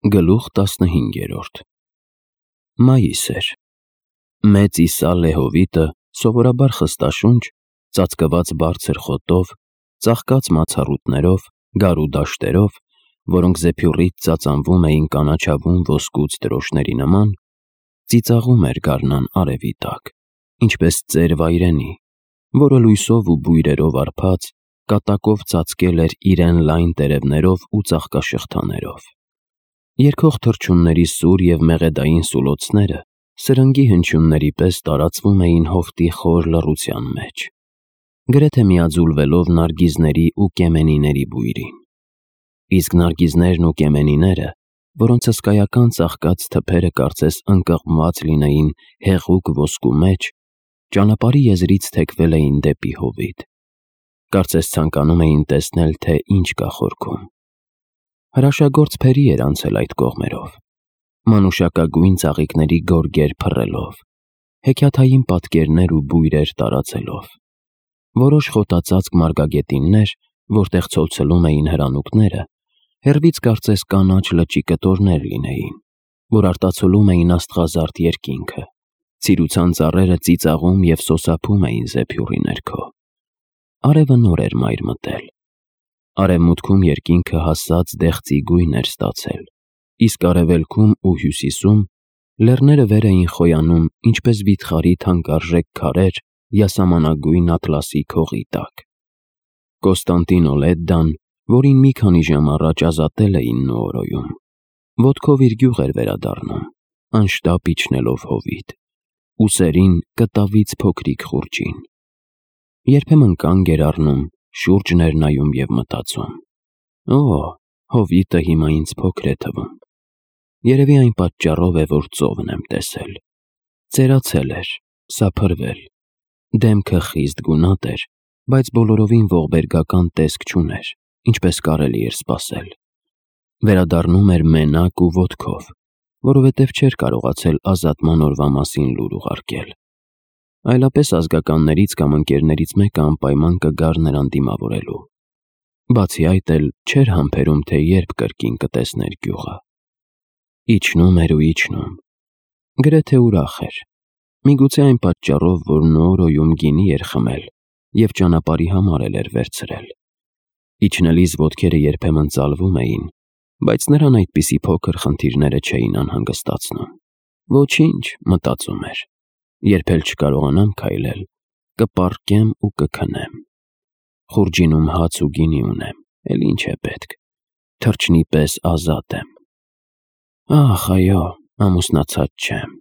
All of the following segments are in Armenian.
Գլուխ 15 Մայիս էր։ Մեծ իսալե հովիտը սովորաբար խստաշունչ, ծածկված բարձր խոտով, ծաղկած մացառուտներով, գարու դաշտերով, որոնք զեփյուռից ծածանվում էին կանաչավուն ոսկուց դրոշների նման, ծիծաղում էր գարնան արևի տակ, ինչպես ծեր վայրենի, որը լույսով ու բույրերով արփած, կատակով ծածկել էր իրեն լայն տերևներով ու ծաղկաշղթաներով։ Երգող թռչունների սուր և մեղեդային սուլոցները սրնգի հնչյունների պես տարածվում էին հովտի խոր լռության մեջ, գրեթե միաձուլվելով նարգիզների ու կեմենիների բույրին։ Իսկ նարգիզներն ու կեմենիները, որոնց հսկայական ծաղկած թփերը կարծես ընկղմված լինեին հեղուկ ոսկու մեջ, ճանապարհի եզրից թեքվել էին դեպի հովիտ, կարծես ցանկանում էին տեսնել, թե ինչ կա խորքում։ Հրաշագործ փերի էր անցել այդ կողմերով, մանուշակագույն ծաղիկների գորգեր փռելով, հեքիաթային պատկերներ ու բույրեր տարածելով։ Որոշ խոտածածկ մարգագետիններ, որտեղ ցոլցլում էին հրանուկները, հեռվից կարծես կանաչ լճի կտորներ լինեին, որ արտացոլում էին աստղազարդ երկինքը, ցիրուցան ծառերը ծիծաղում և սոսափում էին զեփյուռի ներքո։ Արևը նոր էր մայր մտել։ Արևմուտքում երկինքը հասած դեղցի գույն էր ստացել, իսկ արևելքում ու հյուսիսում լեռները վեր էին խոյանում, ինչպես վիթխարի թանկարժեք քարեր յասամանագույն ատլասի քողի տակ։ Կոստանդինո Լեդդան, որին մի քանի ժամ առաջ ազատել էին Նուորոյում, ոտքով իր գյուղ էր վերադառնում, անշտապ իջնելով հովիտ, ուսերին կտավից փոքրիկ խուրջին։ Երբեմն կանգ էր առնում, շուրջն էր նայում և մտածում. «Օ, հովիտը հիմա ինձ փոքր է թվում։ Երևի այն պատճառով է, որ ծովն եմ տեսել։ Ծերացել էր, սափրվել, դեմքը խիստ գունատ էր, բայց բոլորովին ողբերգական տեսք չուներ, ինչպես կարելի էր սպասել։ Վերադառնում էր մենակ ու ոտքով, որովհետև չէր կարողացել ազատման օրվա մասին լուր ուղարկել։ Այլապես ազգականներից կամ ընկերներից մեկը անպայման կգար նրան դիմավորելու։ Բացի այդ էլ չէր համբերում, թե երբ կրկին կտեսներ գյուղը։ Իջնում էր ու իջնում։ Գրեթե ուրախ էր։ Միգուցե այն պատճառով, որ Նուորոյում գինի էր խմել և ճանապարհի համար էլ էր վերցրել։ Իջնելիս ոտքերը երբեմն ծալվում էին, բայց նրան այդպիսի փոքր խնդիրները չէին անհանգստացնում։ Ոչինչ, մտածում էր, երբ էլ չկարողանամ քայլել, կպառկեմ ու կքնեմ։ Խուրջինում հաց ու գինի ունեմ, էլ ինչ է պետք, թռչնի պես ազատ եմ։ Ախ, այո, ամուսնացած չեմ։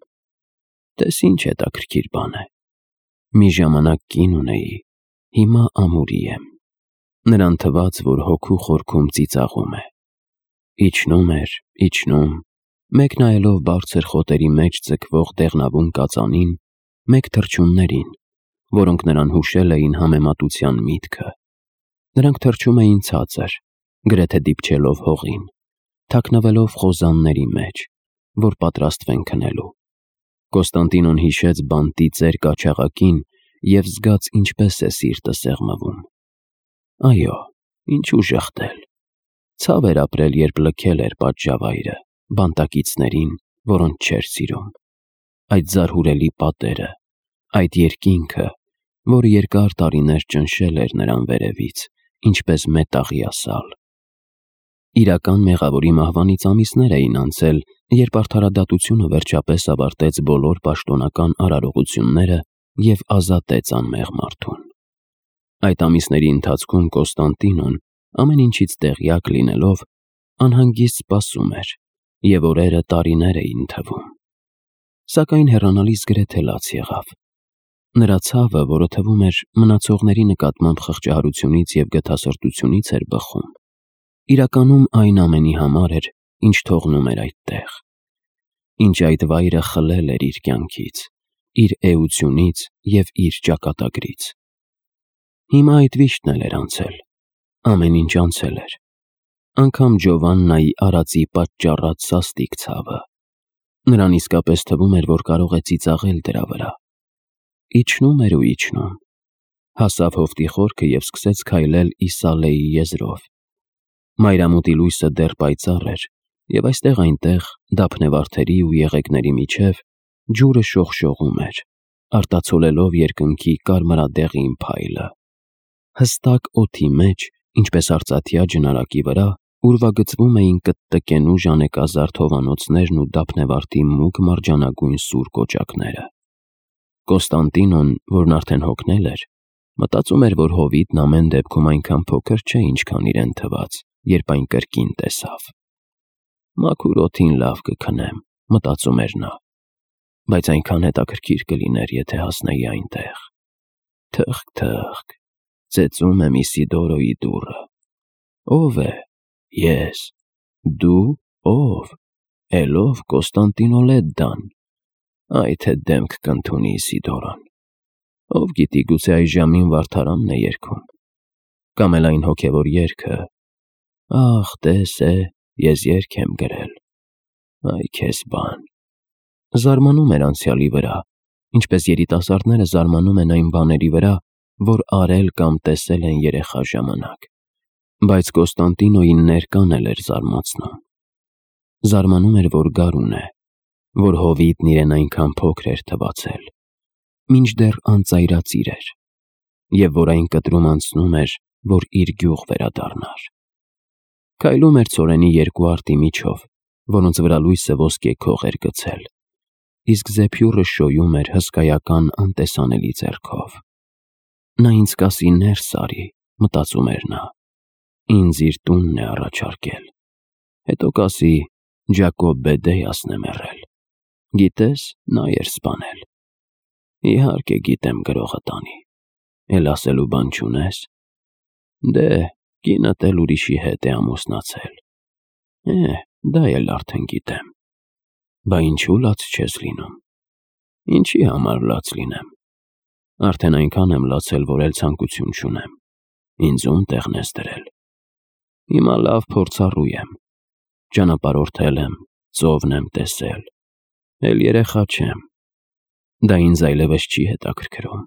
Տես ինչ հետաքրքիր բան է։ Մի ժամանակ կին ունեի, հիմա ամուրի եմ։ Նրան թվաց, որ հոգու խորքում ծիծաղում է։ Իջնում էր, իջնում, մեկ նայելով բարձր խոտերի մեջ ձգվող դեղնավուն կածանին, մեկ թռչուններին, որոնք նրան հուշել էին համեմատության միտքը։ Նրանք թռչում էին ցածր, գրեթե դիպչելով հողին, թաքնվելով խոզանների մեջ, որ պատրաստվեն քնելու։ Կոստանդինոն հիշեց բանտի ծեր կաչաղակին և զգաց ինչպես է սիրտը սեղմվում։ Այո, ինչու ժխտել։ Ցավ էր ապրել, երբ լքել էր պատժավայրը, բանտակիցներին, որոնց չէր սիրում։ Այդ զարհուրելի պատերը, այդ երկինքը, որը երկար տարիներ ճնշել էր նրան վերևից, ինչպես մետաղյա սալ։ Իրական մեղավորի մահվանից ամիսներ էին անցել, երբ արդարադատությունը վերջապես ավարտեց բոլոր պաշտոնական արարողությունները և ազատեց անմեղ մարդուն։ Այդ ամիսների ընթացքում Կոստանդինոն, ամեն ինչից տեղյակ լինելով, անհանգիստ սպասում էր, և օրերը տարիներ էին թվում։ Սակայն հեռանալիս գրեթե լաց եղավ։ Նրա ցավը, որը թվում էր մնացողների նկատմամբ խղճահարությունից և գթասրտությունից էր բխում, իրականում այն ամենի համար էր, ինչ թողնում էր այդտեղ, ինչ այդ վայրը խլել էր իր կյանքից, իր էությունից և իր ճակատագրից։ Հիմա այդ վիշտն էլ էր անցել, ամեն ինչ անցել էր, անգամ Ջովաննայի արածի պատճառած սաստիկ ցավը։ Նրան իսկապես թվում էր, որ կարող է ծիծաղել դրա վրա։ Իջնում էր ու իջնում, հասավ հովտի խորքը և սկսեց քայլել իսալեի եզրով։ Մայրամուտի լույսը դեռ պայծառ էր, Եվ այստեղ-այնտեղ դափնեվարդերի ու եղեգների միջև ջուրը շողշողում էր, արտացոլելով երկնքի կարմրադեղին փայլը։ Հստակ օդի մեջ, ինչպես արծաթյա ջնարակի վրա, ուրվագծվում էին կտտկենու ժանեկազարդ հովանոցներն ու դափնեվարդի մուգ մարջանագույն սուր կոճակները։ Կոստանդինոն, որն արդեն հոգնել էր, մտածում էր, որ հովիտն ամեն դեպքում այնքան փոքր չէ, ինչքան իրեն թվաց, երբ այն կրկին տեսավ։ «Մաքուր օդին լավ կքնեմ», մտածում էր նա, բայց այնքան հետաքրքիր կլիներ, եթե հասնեի այնտեղ։ Թըղկ, ծեծում եմ Իսիդորոյի դուռը։ Ո՞վ է։ Ես։ Դու ո՞վ։ Էլով Կոստանդինո Լեդդան։ Այ թե դեմք կընդունի Իսիդորոն։ Ով գիտի, գուցե այժմին վարդարանն է երգում։ Կամ էլ այն հոգևոր երգը. «Ախ, տես է, ես երգ եմ գրել»։ Այ քեզ բան։ Զարմանում էր անցյալի վրա, ինչպես երիտասարդները զարմանում են այն բաների վրա, որ արել կամ տեսել են երեխա ժամանակ։ Բայց Կոստանդինոյին ներկան էլ էր զարմացնում։ Զարմանում էր, որ գարուն է, որ հովիտն իրեն այնքան փոքր էր թվացել, մինչդեռ անծայրածիր էր, և որ այն կտրում անցնում էր, որ իր գյուղ վերադառնար։ Քայլում էր ցորենի երկու արտի միջով, որոնց վրա լույսը ոսկե քող էր գցել, իսկ զեփյուռը շոյում էր հսկայական անտեսանելի ձեռքով։ Նա ինձ կասի ներս արի, մտածում էր նա, ինձ իր տունն է առաջարկել, հետո կասի Ջակոբ Բեդեյասն է մեռել, գիտես, նա էր սպանել։ Իհարկե գիտեմ գրողը տանի, էլ ասելու բան չունես։ Դե, կինդ էլ ուրիշի հետ է ամուսնացել։ Դա էլ արդեն գիտեմ։ Բա ինչու լաց չես լինում։ Ինչի համար լաց լինեմ։ Արդեն այնքան եմ լացել, որ էլ ցանկություն չունեմ։ Ինձ ում տեղն ես դրել։ Հիմա լավ փորձառու եմ։ Ճանապարհորդել եմ, ծովն եմ տեսել։ Էլ երեխա չեմ։ Դա ինձ այլևս չի հետաքրքրում։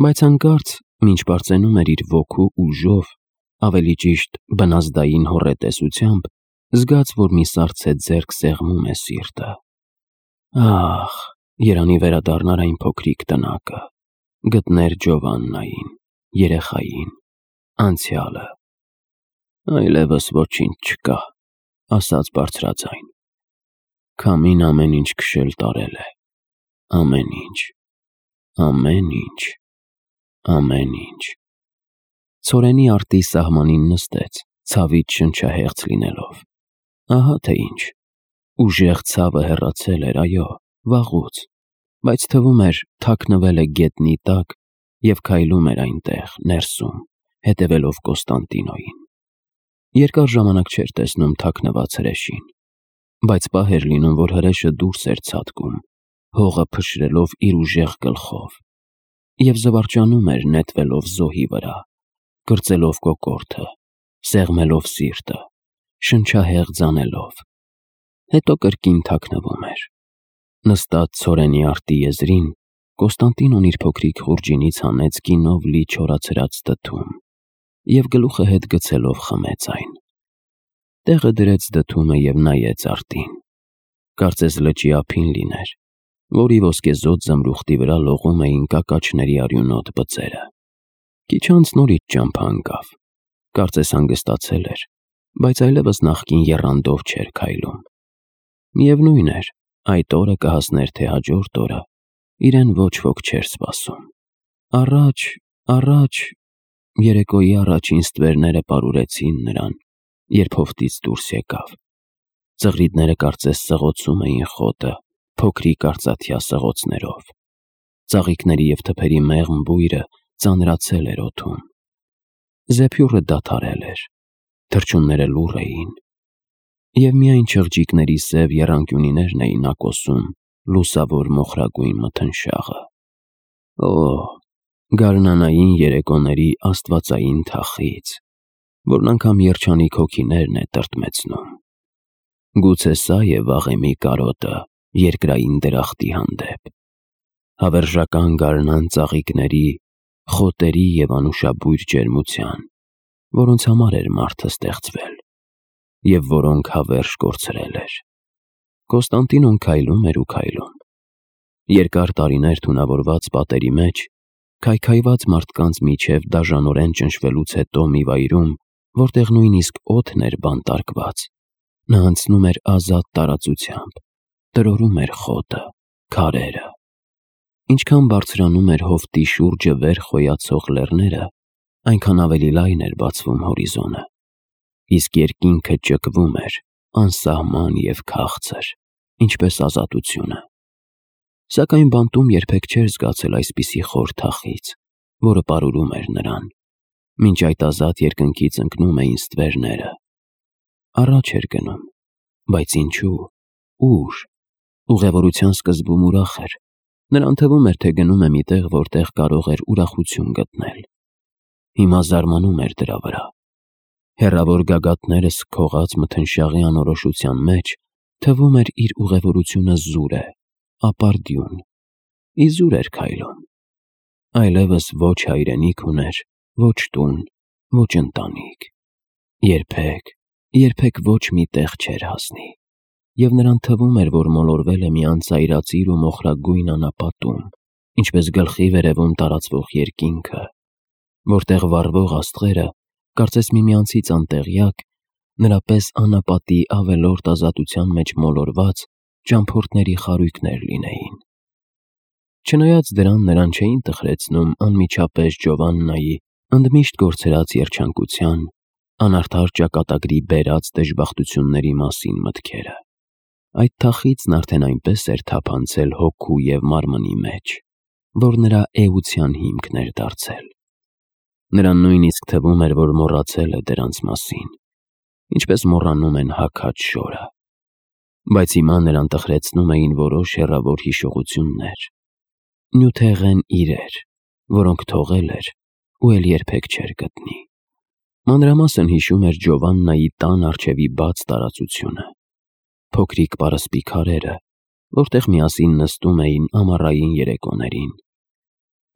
Բայց հանկարծ, մինչ բարձենում էր իր ոգու ուժով, ավելի ճիշտ բնազդային հոռետեսությամբ, զգաց, որ մի սառցե ձեռք սեղմում է սիրտը։ Ախ, երանի վերադառնար այն փոքրիկ տնակը, գտներ Ջովաննային, երեխային, անցյալը։ Այլևս ոչինչ չկա, ասաց բարձրաձայն։ Քամին ամեն ինչ քշել տարել է։ Ամեն ինչ։ Ցորենի արտի սահմանին նստեց, ցավից շնչահեղձ լինելով։ Ահա թե ինչ։ Ուժեղ ցավը հեռացել էր, այո, վաղուց, բայց թվում էր թաքնվել է գետնի տակ և քայլում էր այնտեղ, ներսում, հետևելով Կոստանդինոյին։ Երկար ժամանակ չէր տեսնում թաքնված հրեշին, բայց պահ էր լինում, որ հրեշը դուրս էր ցատկում, հողը փշրելով իր ուժեղ գլխով, և զվարճանում էր նետվելով զոհի վրա, կրծելով կոկորդը, սեղմելով սիրտը, շնչահեղձ անելով, հետո կրկին թաքնվում էր։ Նստած ցորենի արտի եզրին, Կոստանդինոն իր փոքրիկ խուրջինից հանեց գինով լի չորացրած դդում և գլուխը հետ գցելով խմեց այն։ Տեղը դրեց դդումը և նայեց արտին։ Կարծես լճի ափին լիներ, որի ոսկեզօծ զմրուխտի վրա լողում էին կակաչների արյունոտ բծերը։ Քիչ անց նորից ճամփա ընկավ, կարծես հանգստացել էր, բայց այլևս նախկին եռանդով չէր քայլում։ Միևնույն էր, այդ օրը կհասներ թե հաջորդ օրը, իրեն ոչ ոք չէր սպասում։ Առաջ, երեկոյի առաջին ստվերները պարուրեցին նրան, երբ հովտից դուրս եկավ։ Ծղրիդները կարծես սղոցում էին խոտը, փոքրիկ արծաթյա սղոցներով։ Ծաղիկների և թփերի մեղմ բույրը ծանրացել էր օդում։ Զեփյուռը դադարել էր, թռչունները լուռ էին, և միայն չղջիկների սև եռանկյունիներն էին ակոսում լուսավոր մոխրագույն մթնշաղը։ Գարնանային երեկոների աստվածային թախիծ, որն անգամ երջանիկ հոգիներն է տրտմեցնում։ Գուցե սա է վաղեմի կարոտը երկրային դրախտի հանդեպ, հավերժական գարնան ծաղիկների, խոտերի և անուշաբույր ջերմության, որոնց համար էր մարդը ստեղծվել։ և որոնք հավերժ կորցրել էր։ Կոստանդինոն քայլում էր ու քայլում։ Երկար տարիներ թունավորված պատերի մեջ, քայքայված մարդկանց միջև դաժանորեն ճնշվելուց հետո մի վայրում, որտեղ նույնիսկ օդն էր բանտարկված, նա անցնում էր ազատ տարածությամբ, տրորում էր խոտը, քարերը։ Ինչքան բարձրանում էր հովտի շուրջը վեր խոյացող լեռները, այնքան ավելի լայն էր բացվում հորիզոնը, իսկ երկինքը ճկվում էր, անսահման և քաղցր, ինչպես ազատությունը։ Սակայն բանտում երբեք չէր զգացել այսպիսի խոր թախիծ, որը պարուրում էր նրան, մինչ այդ ազատ երկնքից ընկնում էին ստվերները։ Առաջ էր գնում, բայց ինչու, ուր։ Ուղևորության սկզբում ուրախ էր, նրան թվում էր, թե գնում է մի տեղ, որտեղ կարող էր ուրախություն գտնել։ Հիմա զարմանում էր դրա վրա։ Հեռավոր գագաթները սքողած մթնշաղի անորոշության մեջ թվում էր իր ուղևորությունը զուր է, ապարդյուն, իզուր էր քայլում։ Այլևս ոչ հայրենիք ուներ, ոչ տուն, ոչ ընտանիք։ Երբեք ոչ մի տեղ չէր հասնի։ Եվ նրան թվում էր, որ մոլորվել է մի անծայրածիր ու մոխրագույն անապատում, ինչպես գլխի վերևում տարածվող երկինքը, որտեղ վառվող աստղերը, կարծես միմյանցից անտեղյակ, նրա պես անապատի ավելորդ ազատության մեջ մոլորված ճամփորդների խարույկներ լինեին։ Չնայած դրան, նրան չէին տխրեցնում անմիջապես Ջովաննայի ընդմիշտ կորցրած երջանկության, անարդար ճակատագրի բերած դժբախտությունների մասին մտքերը։ Այդ թախիծն արդեն այնպես էր թափանցել հոգու և մարմնի մեջ, որ նրա էության հիմքն էր դարձել։ Նրան նույնիսկ թվում էր, որ մոռացել է դրանց մասին, ինչպես մոռանում են հագած շորը։ Բայց հիմա նրան տխրեցնում էին որոշ հեռավոր հիշողություններ, նյութեղեն իրեր, որոնք թողել էր ու էլ երբեք չէր գտնի։ Մանրամասն հիշում էր Ջովաննայի տան առջևի բաց տարածությունը, փոքրիկ պարսպի քարերը, որտեղ միասին նստում էին ամառային երեկոներին,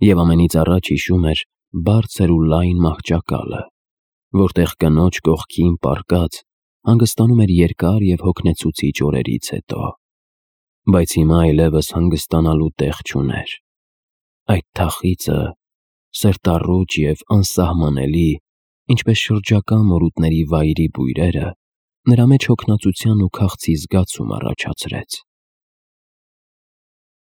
և ամենից առաջ հիշում էր բարձր ու լայն մահճակալը, որտեղ կնոջ կողքին պառկած հանգստանում էր երկար և հոգնեցուցիչ օրերից հետո։ Բայց հիմա այլևս հանգստանալու տեղ չուներ։ Այդ թախիծը, սրտառուչ և անսահմանելի, ինչպես շրջակա մորուտների վայրի բույրերը, նրա մեջ հոգնածության ու քաղցի զգացում առաջացրեց։